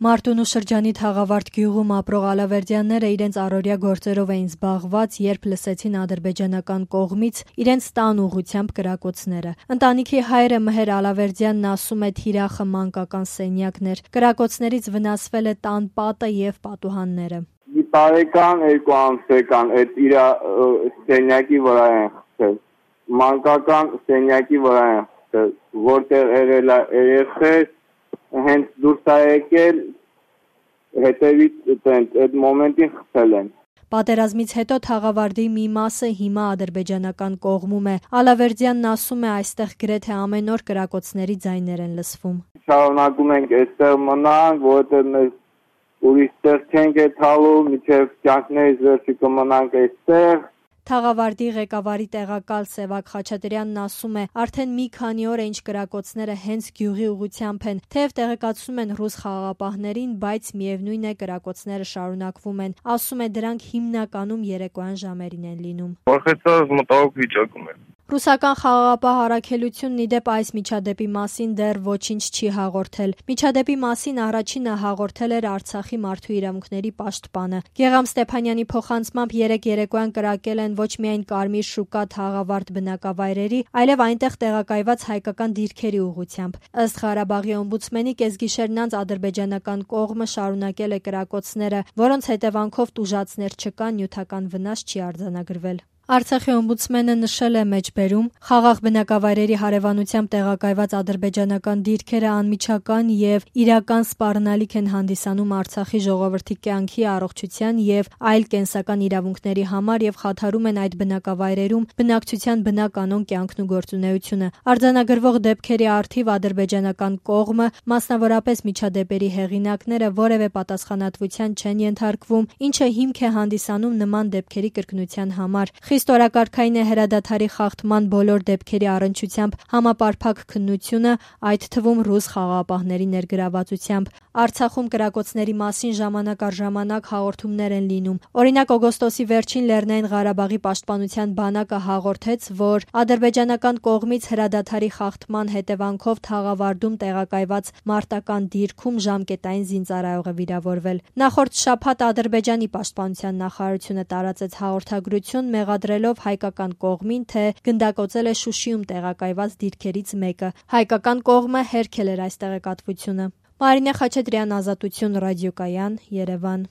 Մարտունու շրջանի Թաղավարտ գյուղում ապրող Ալավերդյանները իրենց առօրյա գործերով էին զբաղված, երբ լսեցին ադրբեջանական կողմից իրենց տան ուղղությամբ կրակոցները։ Ընտանիքի հայրը Մհեր Ալավերդյանն ասում է, թիրախը մանկական սենյակներ, կրակոցներից վնասվել է տան պատը եւ պատուհանները։ Տարեկան 2 ամսական այդ իր սենյակի վրա են խփել, մանկական սենյակի վրա են խփել, որտեղ երել է երեխեք հենց դուրս է եկել, հետևից այդ մոմենտին խփել են։ Պատերազմից հետո Թաղավարտի մի մասը հիմա ադրբեջանական կողմում է։ Ալավերդյանն ասում է, այստեղ գրեթե ամեն օր կրակոցների ձայներ են լսվում։ Շարունակում ենք այստեղ մնանք, որովհետև mēs ուրիշ տեղ չենք եթալու, մինչև կյանքներից վերջը կմնանք այստեղ։ Թաղավարտի ղեկավարի տեղակալ Սևակ Խաչատրյանն ասում է, արդեն մի քանի օր է ինչ կրակոցները հենց գյուղի ուղղությամբ են, թեև տեղեկացնում են ռուս խաղաղապահներին, բայց միևնույն է կրակոցները շարունակվում են։ Ասում է, դրանք հիմնականում երեկոյան ժամերին են լինում։ Վախեցած մտահոգ վիճակում եմ։ Ռուսական խաղաղապահ առաքելությունն ի դեպ այս միջադեպի մասին դեռ ոչինչ չի հաղորդել։ Միջադեպի մասին առաջինը հաղորդել էր Արցախի մարդու իրավունքների պաշտպանը։ Գեղամ Ստեփանյանի փոխանցմամբ երեկոյան կրակել են ոչ միայն Կարմիր շուկա Թաղավարտ բնակավայրերի, այլև այնտեղ տեղակայված հայկական դիրքերի ուղղությամբ։ Ըստ Ղարաբաղի օմբուդսմենի կեսգիշերն անց ադրբեջանական կողմը շարունակել է կրակոցները, որոնց հետևանքով տուժածներ չկան, նյութական վնաս չի արձանագրվել։ Արցախի օմբուդսմենը նշել է մեջբերում, խաղաղ բնակավայրերի հարևանությամբ տեղակայված ադրբեջանական դիրքերը անմիջական եւ իրական սպառնալիք են հանդիսանում Արցախի ժողովրդի կյանքի, առողջության եւ այլ կենսական իրավունքների համար եւ խաթարում են այդ բնակավայրերում բնակչության բնականոն կյանքն ու գործունեությունը։ Արձանագրվող դեպքերի առթիվ ադրբեջանական կողմը, մասնավորապես միջադեպերի հեղինակները որևէ պատասխանատվության չեն ենթարկվում, ինչը հիմք է հանդիսանում նման դեպքերի կրկնության համար։ Խիստ օրակարգային է հրադադարի խախտման բոլոր դեպքերի առնչությամբ համապարփակ քննությունը, այդ թվում ռուս խաղաղապահների ներգրավվածությամբ։ Արցախում կրակոցների մասին ժամանակ առ ժամանակ հաղորդումներ են լինում։ Օրինակ, օգոստոսի վերջին Լեռնային Ղարաբաղի պաշտպանության բանակը հաղորդեց, որ ադրբեջանական կողմից հրադադարի խախտման հետևանքով Թաղավարտում տեղակայված մարտական դիրքում ժամկետային զինծառայող է վիրավորվել։ Նախորդ շաբաթ Ադրբեջանի պաշտպանության նախարարությունը տարածեց հաղորդագրություն, մեղադրելով հայկական կողմին, թե գնդակոծել է Շուշիում տեղակայված դիրքերից մեկը։ Հայկական կողմը հերքել էր այս տեղեկատվությունը։ Մարինե Խաչատրյան, Ազատություն ռադիոկայան, Երևան։